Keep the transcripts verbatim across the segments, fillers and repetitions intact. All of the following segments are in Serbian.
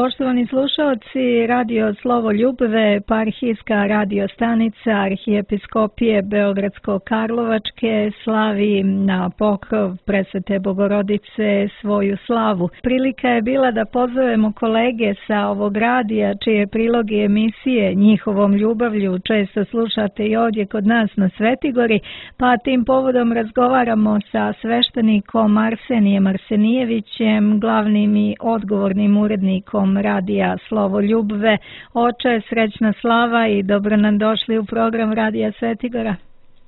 Poštovani slušalci, radio Slovo Ljubve, eparhijska radio stanica Arhijepiskopije Beogradsko-Karlovačke slavi na pokrov Presvete Bogorodice svoju slavu. Prilika je bila da pozovemo kolege sa ovog radija, čije priloge emisije njihovom ljubavlju često slušate i ovdje kod nas na Svetigori, pa tim povodom razgovaramo sa sveštenikom Arsenijem Arsenijevićem, glavnim i odgovornim urednikom radija Slovo Ljubve. Oče, srećna slava i dobro nam došli u program radija Svetigora.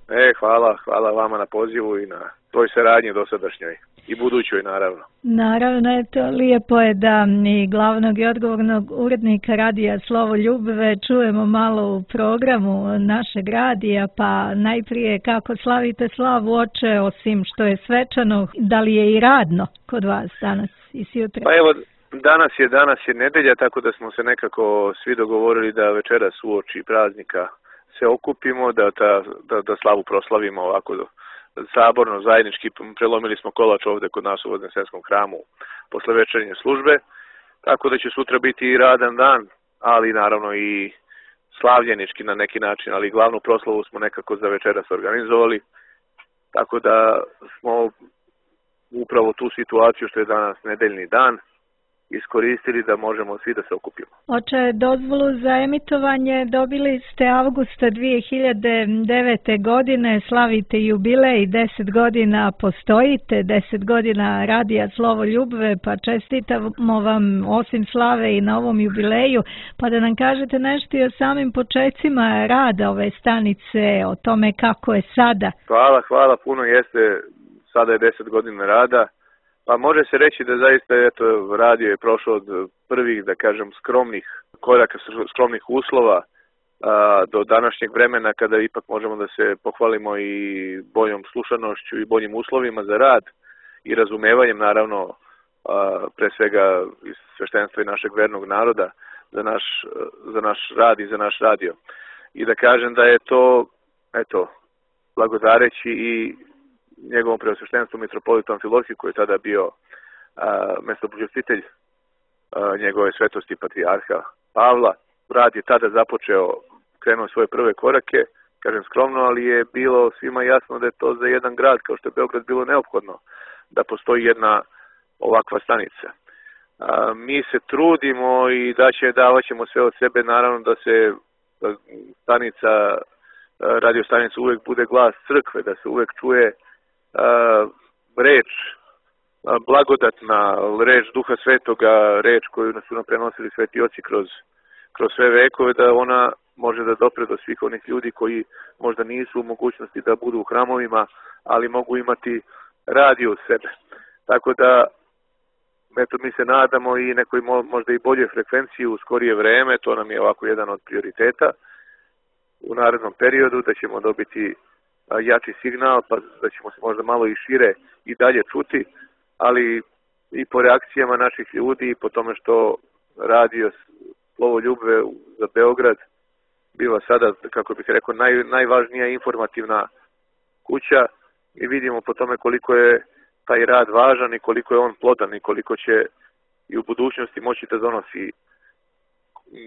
E, hvala, hvala vama na pozivu i na toj saradnji dosadašnjoj i budućoj, naravno. Naravno, eto, lijepo je da i glavnog i odgovornog urednika radija Slovo Ljubve čujemo malo u programu našeg radija, pa najprije kako slavite slavu, oče, osim što je svečano, da li je i radno kod vas danas i sutra? Pa evo, Danas je, danas je nedelja, tako da smo se nekako svi dogovorili da večeras uoči praznika se okupimo, da, ta, da, da slavu proslavimo ovako saborno, zajednički. Prelomili smo kolač ovde kod nas u Vodensenskom hramu posle večernje službe, tako da će sutra biti i radan dan, ali naravno i slavljenički na neki način, ali glavnu proslavu smo nekako za večeras organizovali, tako da smo upravo tu situaciju što je danas nedeljni dan iskoristili da možemo svi da se okupimo. Oče, dozvolu za emitovanje dobili ste avgusta dvije hiljade devete. godine, slavite jubilej, deset godina postojite, deset godina radija Slovo Ljubve, pa čestitamo vam osim slave i na ovom jubileju, pa da nam kažete nešto i o samim počecima rada ove stanice, o tome kako je sada. Hvala, hvala, puno jeste, sada je deset godina rada. Pa može se reći da zaista eto, radio je prošao od prvih, da kažem, skromnih koraka, skromnih uslova a, do današnjeg vremena kada ipak možemo da se pohvalimo i boljom slušanošću i boljim uslovima za rad i razumevanjem, naravno, a, pre svega iz sveštenstva i našeg vernog naroda za naš, za naš rad i za naš radio. I da kažem da je to, eto, blagodareći i njegovom preosveštenstvu mitropolitu Amfilohiju, koji je tada bio mestobogostitelj njegove svetosti patrijarha Pavla. Rad je tada započeo, krenuo svoje prve korake, kažem skromno, ali je bilo svima jasno da je to za jedan grad, kao što je Beograd, bilo neophodno da postoji jedna ovakva stanica. A, mi se trudimo i da će, davat ćemo sve od sebe, naravno da se da stanica, radio stanica uvek bude glas crkve, da se uvek čuje Uh, reč, uh, blagodatna reč Duha Svetoga, reč koju su nam prenosili sveti oci kroz, kroz sve vekove, da ona može da dopre do svih onih ljudi koji možda nisu u mogućnosti da budu u hramovima, ali mogu imati radio u sebe. Tako da, eto, mi se nadamo i nekoj možda i bolje frekvenciji u skorije vreme, to nam je ovako jedan od prioriteta u narednom periodu, da ćemo dobiti jači signal, pa da ćemo se možda malo i šire i dalje čuti, ali i po reakcijama naših ljudi i po tome što radio Slovo Ljubve za Beograd biva sada, kako bih rekao, naj, najvažnija informativna kuća i vidimo po tome koliko je taj rad važan i koliko je on plodan i koliko će i u budućnosti moći da donosi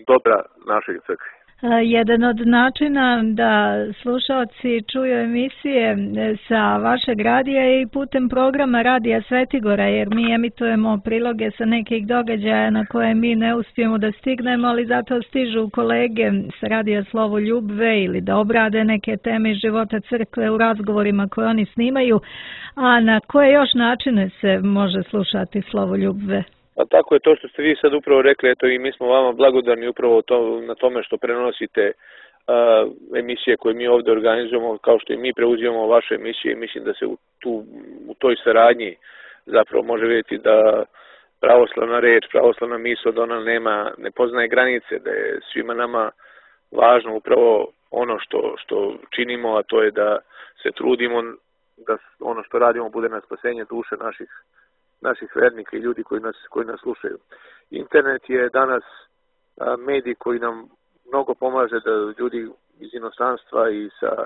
dobra našoj crkvi. Jedan od načina da slušalci čuju emisije sa vašeg radija je i putem programa radija Svetigora, jer mi emitujemo priloge sa nekih događaja na koje mi ne uspijemo da stignemo, ali zato stižu kolege sa radija Slovo Ljubve ili da obrade neke teme iz života crkve u razgovorima koje oni snimaju. A na koje još načine se može slušati Slovo Ljubve? A tako je to što ste vi sad upravo rekli, eto i mi smo vama blagodarni upravo to, na tome što prenosite a, emisije koje mi ovdje organizujemo, kao što i mi preuzimamo vaše emisije i mislim da se u, tu, u toj saradnji zapravo može vidjeti da pravoslavna reč, pravoslavna misao, da ona nema, ne poznaje granice, da je svima nama važno upravo ono što, što činimo, a to je da se trudimo da ono što radimo bude na spasenje duše naših naših vernika i ljudi koji nas, koji nas slušaju. Internet je danas a, medij koji nam mnogo pomaže da ljudi iz inostranstva i sa,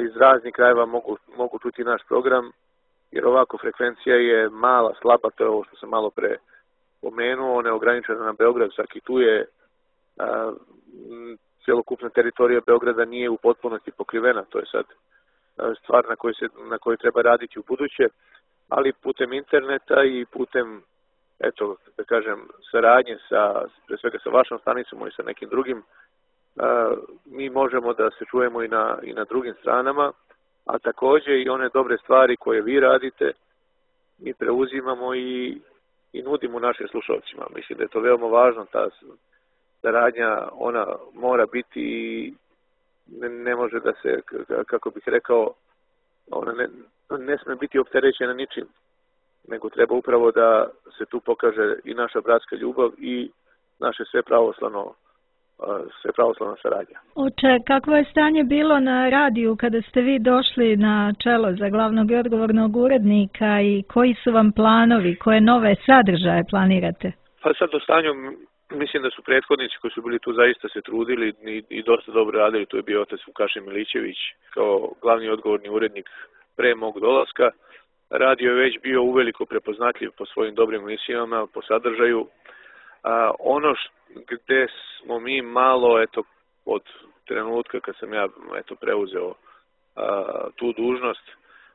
iz raznih krajeva mogu, mogu čuti naš program, jer ovako frekvencija je mala, slaba, to je ovo što sam malo pre pomenuo, neograničeno na Beograd, čak i tu je a, cjelokupna teritorija Beograda nije u potpunosti pokrivena, to je sad a, stvar na kojoj se, na kojoj treba raditi u buduće, ali putem interneta i putem, eto, da kažem, saradnje sa, pre svega sa vašom stanicom i sa nekim drugim, a, mi možemo da se čujemo i na, i na drugim stranama, a takođe i one dobre stvari koje vi radite, mi preuzimamo i, i nudimo našim slušalcima. Mislim da je to veoma važno, ta saradnja, ona mora biti i ne, ne može da se, kako bih rekao, ona ne, ne sme biti opterećena ničim, nego treba upravo da se tu pokaže i naša bratska ljubav i naše sve pravoslavno sve pravoslavna saradnja. Oče, kakvo je stanje bilo na radiju kada ste vi došli na čelo za glavnog i odgovornog urednika i koji su vam planovi, koje nove sadržaje planirate? Pa sad o stanju, mislim da su prethodnici koji su bili tu zaista se trudili i, i dosta dobro radili, tu je bio otac Vukašin Milićević kao glavni odgovorni urednik pre mog dolaska. Radio je već bio uveliko prepoznatljiv po svojim dobrim emisijama, po sadržaju. A, ono š, gde smo mi malo, eto, od trenutka kad sam ja eto, preuzeo a, tu dužnost,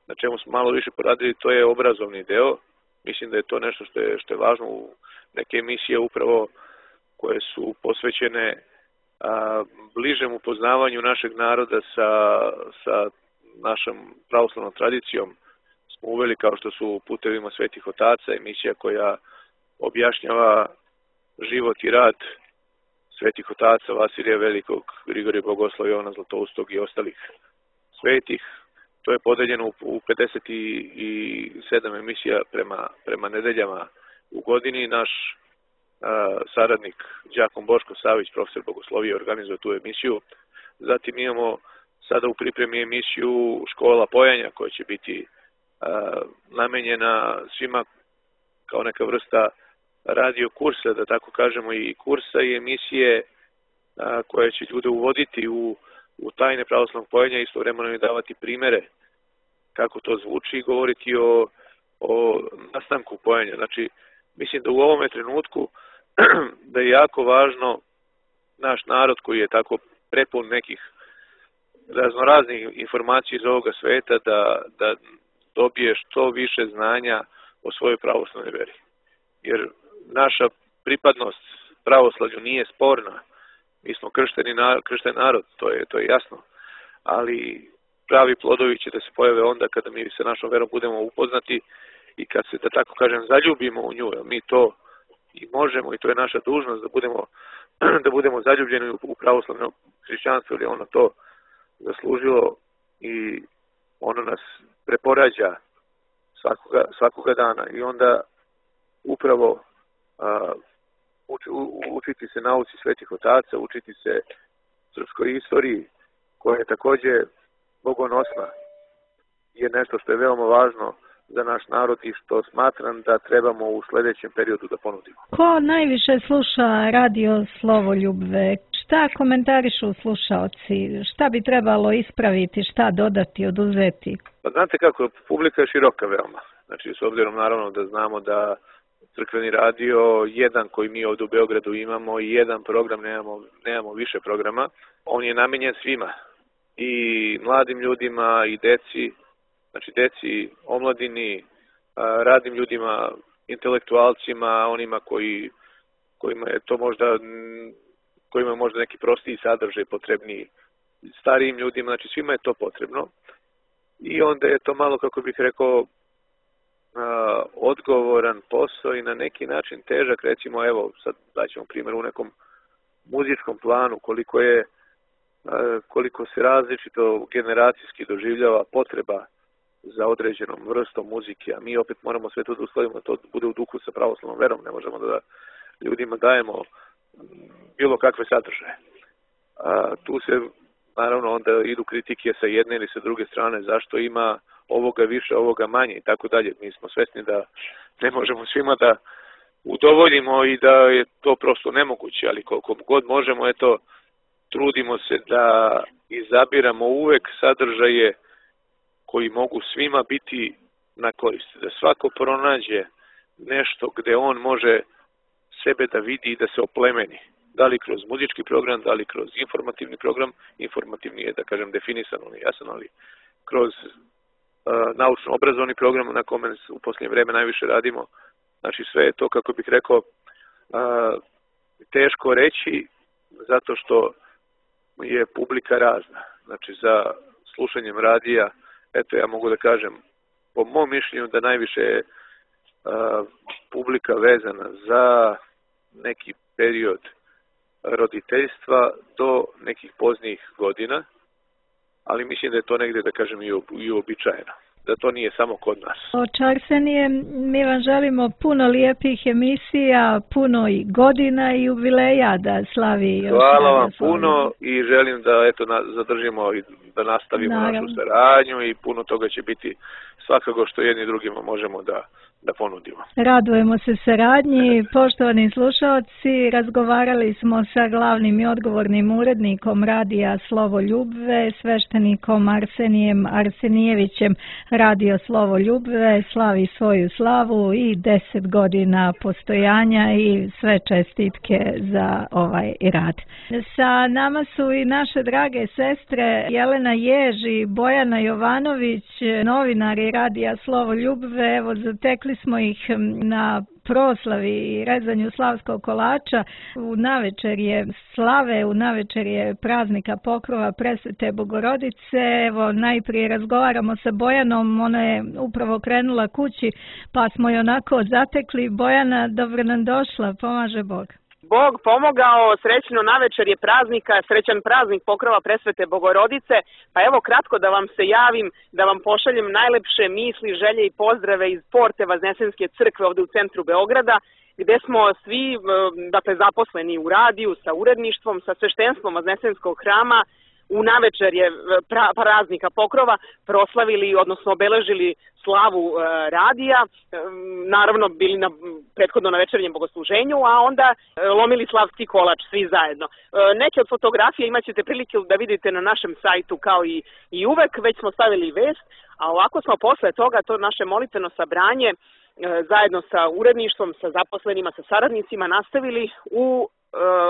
na čemu smo malo više poradili, to je obrazovni deo. Mislim da je to nešto što je, što je važno u neke emisije upravo koje su posvećene a, bližem upoznavanju našeg naroda sa, sa našom pravoslavnom tradicijom. Smo uveli kao što su Putevima svetih otaca, emisija koja objašnjava život i rad svetih otaca Vasilija Velikog, Grigorija Bogosloja, Jovana Zlatoustog i ostalih svetih. To je podeljeno u pedeset sedam emisija prema, prema nedeljama u godini. Naš a, saradnik đakon Boško Savić, profesor bogoslovije, organizuje tu emisiju. Zatim imamo sada u pripremi emisiju Škola pojanja koja će biti a, namenjena svima kao neka vrsta radio kursa, da tako kažemo, i kursa i emisije a, koje će ljude uvoditi u, u tajne pravoslavnog pojenja i istovremeno im davati primere kako to zvuči i govoriti o, o nastanku pojenja. Znači, mislim da u ovome trenutku da je jako važno naš narod koji je tako prepun nekih raznoraznih informacija iz ovoga sveta da, da dobije što više znanja o svojoj pravoslavnoj veri. Jer naša pripadnost pravoslavlju nije sporna. Mi smo kršteni narod, kršten narod, to je, to je jasno. Ali pravi plodovi će da se pojave onda kada mi sa našom verom budemo upoznati i kad se, da tako kažem, zaljubimo u nju. Mi to i možemo i to je naša dužnost da budemo, da budemo zaljubljeni u pravoslavno hrišćanstvo, ili ono to zaslužilo i ono nas preporađa svakoga, svakoga dana. I onda upravo a, uči, u, učiti se nauci svetih otaca, učiti se srpskoj istoriji koja je takođe bogonosna, je nešto što je veoma važno za naš narod i što smatram da trebamo u sledećem periodu da ponudimo. Ko najviše sluša radio Slovoljubve? Šta komentarišu slušaoci? Šta bi trebalo ispraviti, šta dodati, oduzeti? Pa znate kako, publika je široka veoma. Znači, s obzirom naravno da znamo da crkveni radio, jedan koji mi ovdje u Beogradu imamo i jedan program, nemamo, nemamo više programa, on je namenjen svima. I mladim ljudima i deci, znači deci, omladini, radnim ljudima, intelektualcima, onima koji, kojima je to možda, kojima je možda neki prostiji sadržaj potrebniji, starijim ljudima, znači svima je to potrebno. I onda je to malo, kako bih rekao, odgovoran posao i na neki način težak, recimo, evo, sad daćemo primjer u nekom muzičkom planu, koliko je, koliko se različito generacijski doživljava potreba za određenom vrstom muzike, a mi opet moramo sve to da uskladimo da to bude u duhu sa pravoslavnom verom, ne možemo da ljudima dajemo bilo kakve sadržaje. A, tu se, naravno, onda idu kritike sa jedne ili sa druge strane, zašto ima ovoga više, ovoga manje i tako dalje. Mi smo svesni da ne možemo svima da udovoljimo i da je to prosto nemoguće, ali koliko god možemo, eto, trudimo se da izabiramo uvek sadržaje koji mogu svima biti na korist. Da svako pronađe nešto gde on može sebe da vidi i da se oplemeni. Da li kroz muzički program, da li kroz informativni program. Informativni je, da kažem, definisan, on je jasan, ali kroz uh, naučno-obrazovni program na kome u posljednje vreme najviše radimo. Znači sve je to, kako bih rekao, uh, teško reći, zato što je publika razna. Znači za slušanjem radija, eto ja mogu da kažem, po mom mišljenju da najviše je uh, publika vezana za neki period roditeljstva do nekih poznijih godina, ali mislim da je to negdje, da kažem, i uobičajeno. Da to nije samo kod nas. Oče Arsenije, mi vam želimo puno lijepih emisija, puno i godina i jubileja da slavi. Hvala vam puno i želim da eto na, zadržimo i da nastavimo Naravno. našu saradnju i puno toga će biti svakako što jedni drugima možemo da da ponudimo. Radujemo se saradnji. Poštovani slušalci, razgovarali smo sa glavnim i odgovornim urednikom radija Slovo Ljubve, sveštenikom Arsenijem Arsenijevićem. Radio Slovo Ljubve slavi svoju slavu i deset godina postojanja i sve čestitke za ovaj rad. Sa nama su i naše drage sestre Jelena Jež i Bojana Jovanović, novinari radija Slovo Ljubve. Evo, zatekli smo ih na proslavi i rezanju slavskog kolača. U navečer je slave, u navečer je praznika Pokrova Presvete Bogorodice. Evo, najprije razgovaramo sa Bojanom, ona je upravo krenula kući, pa smo je onako zatekli. Bojana, dobro nam došla, pomaže Bog. Bog pomogao, srećno navečer je praznika, srećan praznik Pokrova Presvete Bogorodice, pa evo kratko da vam se javim, da vam pošaljem najlepše misli, želje i pozdrave iz porte Vaznesenske crkve ovdje u centru Beograda, gdje smo svi dakle, zaposleni u radiju, sa uredništvom, sa sveštenstvom Vaznesenskog hrama. U navečer je pra, praznika Pokrova proslavili, odnosno obeležili slavu e, radija, e, naravno bili na prethodno na večernjem bogosluženju, a onda e, lomili slavski kolač svi zajedno. E, neke od fotografija imat ćete prilike da vidite na našem sajtu kao i, i uvek, već smo stavili vest, a ovako smo posle toga to naše molitveno sabranje e, zajedno sa uredništvom, sa zaposlenima, sa saradnicima nastavili u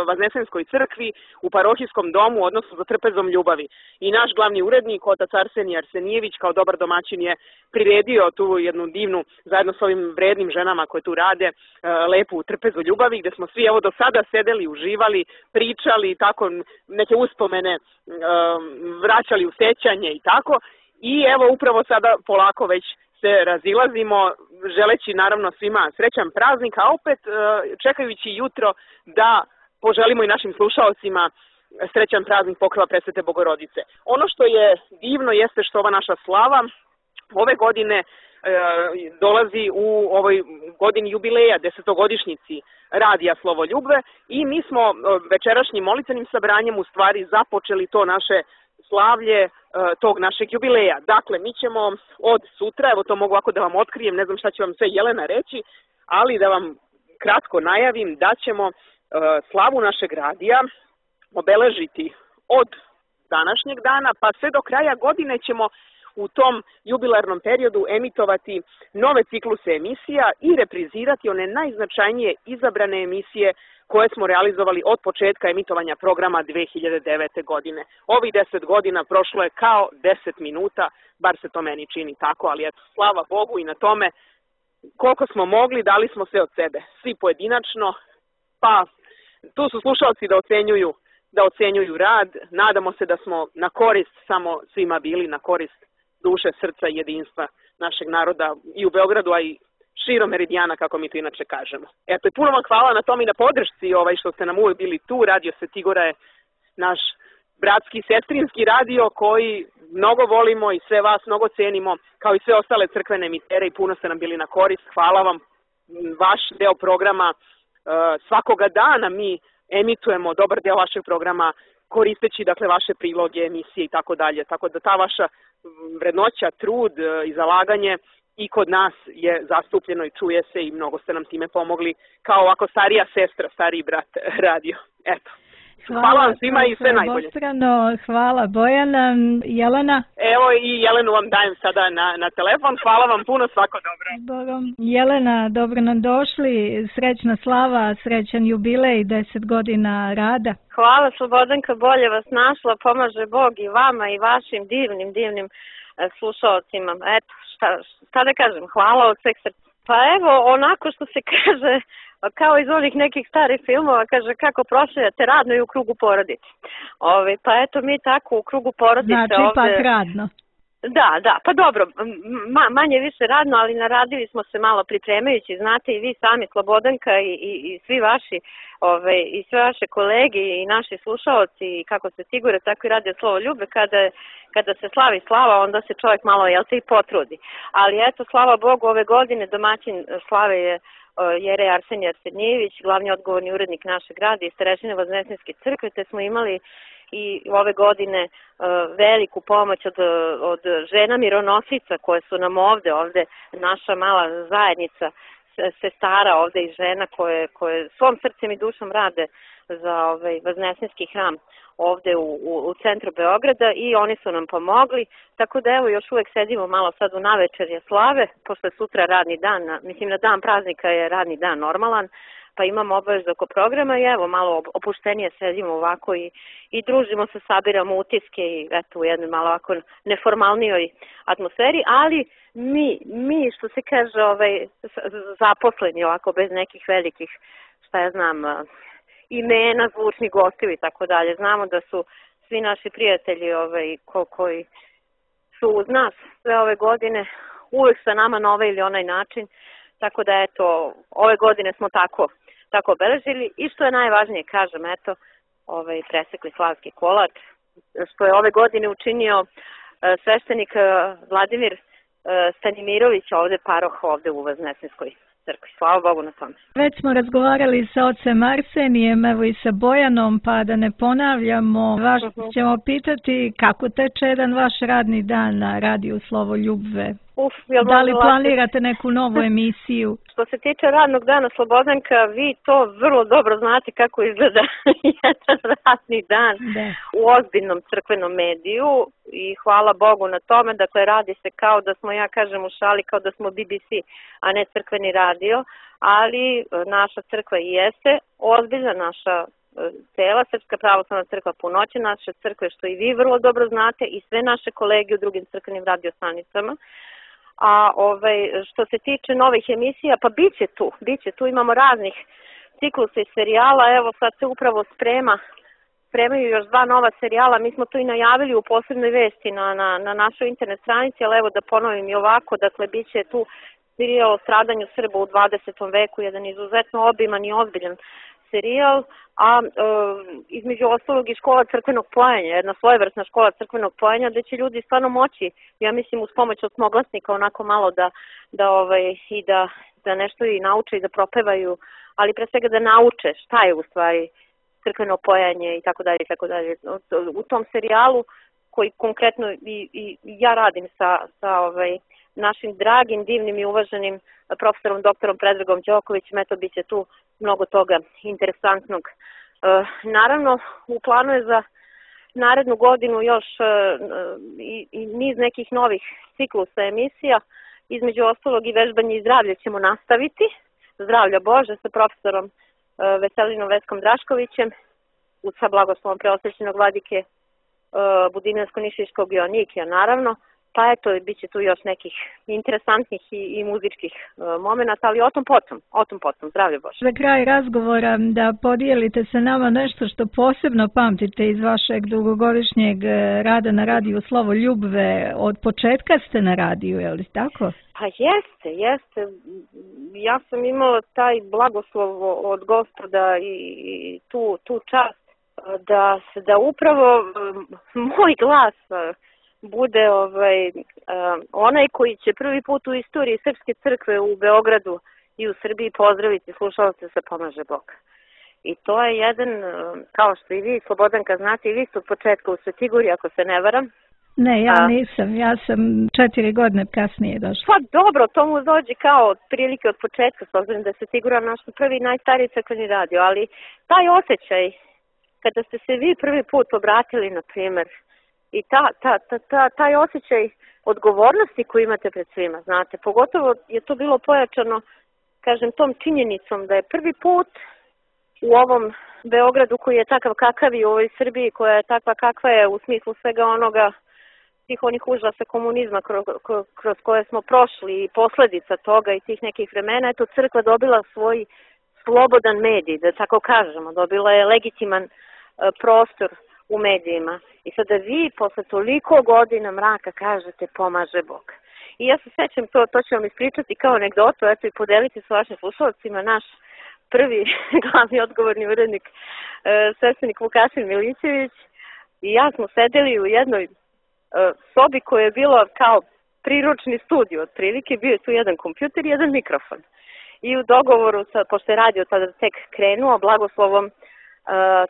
Vaznesenskoj crkvi u parohijskom domu, odnosno za trpezom ljubavi. I naš glavni urednik, otac Arsenije Arsenijević, kao dobar domaćin je priredio tu jednu divnu, zajedno s ovim vrednim ženama koje tu rade, lepu trpezu ljubavi, gdje smo svi evo do sada sedeli, uživali, pričali, tako neke uspomene vraćali u sećanje i tako. I evo upravo sada polako već se razilazimo, želeći naravno svima srećan praznik, a opet čekajući jutro da poželimo i našim slušalcima srećan praznik Pokrova Presvete Bogorodice. Ono što je divno jeste što ova naša slava ove godine e, dolazi u ovoj godini jubileja, desetogodišnjici radija Slovo Ljubve, i mi smo večerašnjim molitvenim sabranjem u stvari započeli to naše slavlje e, tog našeg jubileja. Dakle, mi ćemo od sutra, evo to mogu ovako da vam otkrijem, ne znam šta će vam sve Jelena reći, ali da vam kratko najavim da ćemo e, slavu našeg radija obeležiti od današnjeg dana, pa sve do kraja godine ćemo u tom jubilarnom periodu emitovati nove cikluse emisija i reprizirati one najznačajnije izabrane emisije koje smo realizovali od početka emitovanja programa dve hiljade devete. godine. Ovih deset godina prošlo je kao deset minuta, bar se to meni čini tako, ali eto, slava Bogu i na tome koliko smo mogli, dali smo sve od sebe, svi pojedinačno, pa tu su slušalci da ocenjuju, da ocenjuju rad, nadamo se da smo na korist samo svima bili, na korist duše, srca i jedinstva našeg naroda i u Beogradu, a i širom meridijana, kako mi to inače kažemo. Eto, i puno vam hvala na tom i na podršci ovaj, što ste nam uvijek bili tu. Radio Svetigora je naš bratski, sestrinski radio koji mnogo volimo i sve vas mnogo cenimo, kao i sve ostale crkvene emitere, i puno ste nam bili na korist. Hvala vam. Vaš deo programa svakoga dana mi emitujemo dobar deo vašeg programa koristeći dakle vaše priloge, emisije i tako dalje. Tako da ta vaša vrednoća, trud i zalaganje i kod nas je zastupljeno i čuje se, i mnogo ste nam time pomogli kao ovako starija sestra, stariji brat radio. Eto. Hvala, hvala vam svima i sve najbolje. Bostrano, hvala Bojana. Jelena? Evo i Jelenu vam dajem sada na, na telefon. Hvala vam puno, svako dobro. Bogom. Jelena, dobro nam došli. Srećna slava, srećan jubilej, deset godina rada. Hvala Slobodanka, bolje vas našla, pomaže Bog i vama i vašim divnim, divnim slušalcima. Eto, šta, šta da kažem, hvala od sveg srca. Pa evo, onako što se kaže, kao iz onih nekih starih filmova, kaže kako proslavljate radno i u krugu porodice. Ove, pa eto, mi tako u krugu porodice znači, ovde... Znači, ipak radno. Da, da, pa dobro, ma, manje više radno, ali naradili smo se malo pripremajući, znate i vi sami, Slobodanka i, i, i svi vaši, ove, i sve vaše kolege i naši slušaoci, i kako se sigure, tako i Radio Slovo Ljube, kada, kada se slavi slava, onda se čovjek malo, jel te, i potrudi. Ali eto, slava Bogu, ove godine domaćin slave je Jerej Arsenije Arsenjević, glavni odgovorni urednik našeg grada i starešine Voznesenske crkve, te smo imali i ove godine uh, veliku pomoć od, od žena mironosica koje su nam ovde, ovde naša mala zajednica sestara ovde i žena koje, koje svom srcem i dušom rade za ovaj Voznesenski hram ovde u, u, u centru Beograda i oni su nam pomogli, tako da evo još uvek sedimo malo sad u navečerje slave, pošto je sutra radni dan, na, mislim na dan praznika je radni dan normalan, pa imamo obavezu oko programa i evo malo opuštenije sedimo ovako i, i družimo se, sabiramo utiske i eto u jednoj malo ovako neformalnijoj atmosferi, ali mi, mi što se kaže ovaj, zaposleni ovako bez nekih velikih, šta ja znam, imena, zvučnih gostiju i tako dalje. Znamo da su svi naši prijatelji ovaj, ko, koji su uz nas sve ove godine uvek sa nama na ovaj ili onaj način, tako da eto, ove godine smo tako tako obeležili i što je najvažnije, kažem, eto, ovaj presekli slavski kolač, što je ove godine učinio uh, sveštenik uh, Vladimir uh, Stanimirović, ovde paroh ovde u Voznesenskoj crkvi. Slava Bogu na tome. Već smo razgovarali sa ocem Arsenijem, evo i sa Bojanom, pa da ne ponavljamo, vaš uh-huh. ćemo pitati kako teče jedan vaš radni dan na radiju Slovo Ljubve. Uf, da li planirate neku novu emisiju? Što se tiče radnog dana, Slobodanka, vi to vrlo dobro znate kako izgleda jedan radni dan da. U ozbiljnom crkvenom mediju i hvala Bogu na tome. Dakle, radi se kao da smo, ja kažem u šali, kao da smo B B C, a ne crkveni radio, ali naša crkva i jeste ozbiljna, naša cela Srpska pravoslavna crkva Punoće, naše crkve, što i vi vrlo dobro znate, i sve naše kolege u drugim crkvenim radiostanicama. A ovaj, što se tiče novih emisija, pa bit će tu, bit će tu, imamo raznih ciklusa i serijala, evo sad se upravo sprema, spremaju još dva nova serijala, mi smo to i najavili u posebnoj vesti na, na, na našoj internet stranici, ali evo da ponovim i ovako, dakle bit će tu serijal o stradanju Srba u dvadesetom veku, jedan izuzetno obiman i ozbiljan serijal, a e, između ostalog i škola crkvenog pojenja, jedna svojevrsna škola crkvenog pojenja, gde će ljudi stvarno moći, ja mislim uz pomoć osmoglasnika onako malo da, da ovaj, i da, da nešto i nauče i da propevaju, ali pre svega da nauče šta je u stvari crkveno pojanje i tako dalje i tako dalje. U tom serijalu koji konkretno i, i ja radim sa, sa ovaj, našim dragim, divnim i uvaženim profesorom doktorom Predragom Đokovićem, eto bit će tu mnogo toga interesantnog. E, naravno, u planu je za narednu godinu još e, i, i niz nekih novih ciklusa emisija, između ostalog i vežbanje i zdravlje ćemo nastaviti, zdravlja Bože, sa profesorom e, Veselinom Veskom Draškovićem, sa blagoslovom preosvećenog vladike e, Budinarsko-Nišiškog Joannikija, naravno. Pa eto, bit će tu još nekih interesantnih i, i muzičkih e, momenata, ali o tom potom, o tom potom, zdravlje Bože. Za kraj razgovora da podijelite sa nama nešto što posebno pamtite iz vašeg dugogodišnjeg rada na radiju Slovo Ljubve. Od početka ste na radiju, je li tako? Pa jeste, jeste. Ja sam imala taj blagoslov od Gospoda i, i tu, tu čast da, da upravo moj glas bude ovaj, uh, onaj koji će prvi put u istoriji Srpske crkve u Beogradu i u Srbiji pozdraviti slušalce sa Pomaže Bog. I to je jedan, uh, kao što i vi, Slobodanka, znate, i vi ste od početka u Svetigori, ako se ne varam. Ne, ja A, nisam, ja sam četiri godine kasnije došla. Pa dobro, to mu dođe kao od prilike od početka, s obzirom da je Svetigora naš prvi najstariji crkveni radio, ali taj osjećaj kada ste se vi prvi put obratili, na primjer, i ta, ta, ta, ta, taj osjećaj odgovornosti koju imate pred svima, znate, pogotovo je to bilo pojačano, kažem, tom činjenicom da je prvi put u ovom Beogradu koji je takav kakav i u ovoj Srbiji koja je takva kakva je u smislu svega onoga, tih onih užasa komunizma kroz, kroz koje smo prošli i posljedica toga i tih nekih vremena, eto crkva dobila svoj slobodan medij, da tako kažemo, dobila je legitiman uh, prostor u medijima. I sada vi posle toliko godina mraka kažete pomaže Bog. I ja se sećam, to, to ću vam ispričati kao anegdotu, eto i podeliti s vašim slušalcima, naš prvi glavni odgovorni urednik, uh, sveštenik Vukašin Milićević i ja smo sedeli u jednoj uh, sobi koja je bilo kao priručni studio, otprilike bio je tu jedan kompjuter i jedan mikrofon. I u dogovoru, sa, pošto je radio tada tek krenuo, blagoslovom uh,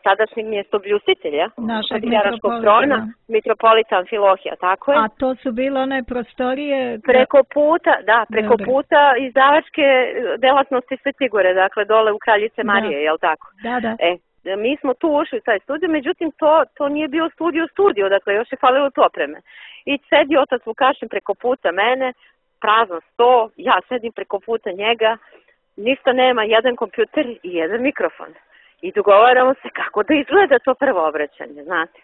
tadašnjeg mjestobljustitelja, našeg trona, mitropolita Amfilohija, tako je. A to su bile one prostorije? Preko puta, da, preko Dobre. puta izdavačke delatnosti Svetigore, dakle dole u Kraljice Marije, da. Jel tako? Da, da. E, mi smo tu ušli u taj studio, međutim to, to nije bio studio studio, dakle još je falilo tu opreme. I sedi otac Vukašin preko puta mene, prazan sto, ja sedim preko puta njega, ništa nema, jedan kompjuter i jedan mikrofon. I dogovaramo se kako da izgleda to prvo obraćanje, znate.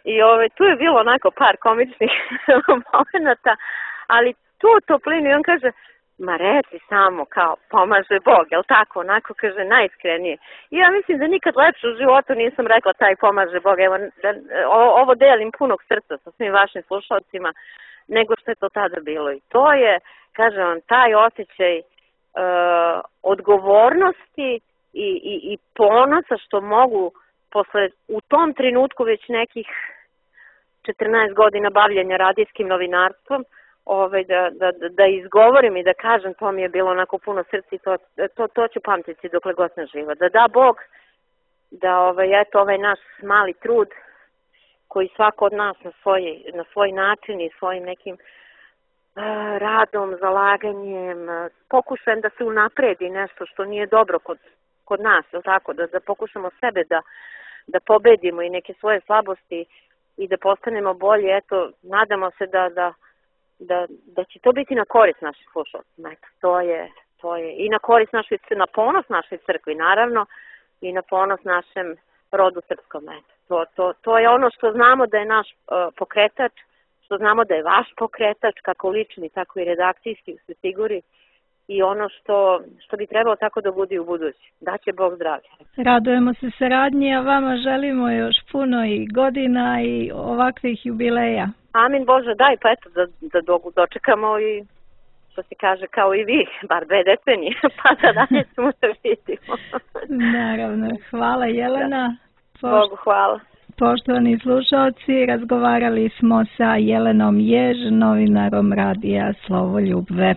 I ove, tu je bilo onako par komičnih momenta, ali tu toplinu i on kaže, ma reci samo kao pomaže Bog, jel tako, onako kaže najiskrenije. I ja mislim da nikad lepše u životu nisam rekla taj pomaže Bog, evo da, ovo delim punog srca sa svim vašim slušalcima, nego što je to tada bilo. I to je, kažem vam, taj osjećaj uh, odgovornosti i, i, i ponosa što mogu posle u tom trenutku već nekih četrnaest godina bavljenja radijskim novinarstvom, ovaj, da, da, da izgovorim i da kažem, to mi je bilo onako puno srca i to, to, to ću pamtiti dokle god sam živa. Da da Bog, da ovaj, eto, ovaj naš mali trud koji svako od nas na svoj, na svoj način i svojim nekim uh, radom, zalaganjem, uh, pokušajem da se unapredi nešto što nije dobro kod, kod nas, je tako? Da, da pokušamo sebe da, da pobedimo i neke svoje slabosti i da postanemo bolji. Eto, nadamo se da, da, da, da će to biti na korist naših slušalcima. Eto, to je, to je i na korist našoj, na ponos našoj crkvi, naravno, i na ponos našem rodu srpskom. Eto. To, to, to je ono što znamo da je naš uh, pokretač, što znamo da je vaš pokretač, kako lični, tako i redakcijski u Svetigori, i ono što, što bi trebalo tako da bude u budući. Daće Bog zdravlja. Radujemo se saradnji, a vama želimo još puno i godina i ovakvih jubileja. Amin Bože, daj, pa eto, da, da dočekamo i, što se kaže, kao i vi, bar dve decenije, pa da dalje smo se vidimo. Naravno, hvala Jelena. Da. Bogu hvala. Poštovani slušalci, razgovarali smo sa Jelenom Jež, novinarom radija Slovoljubve.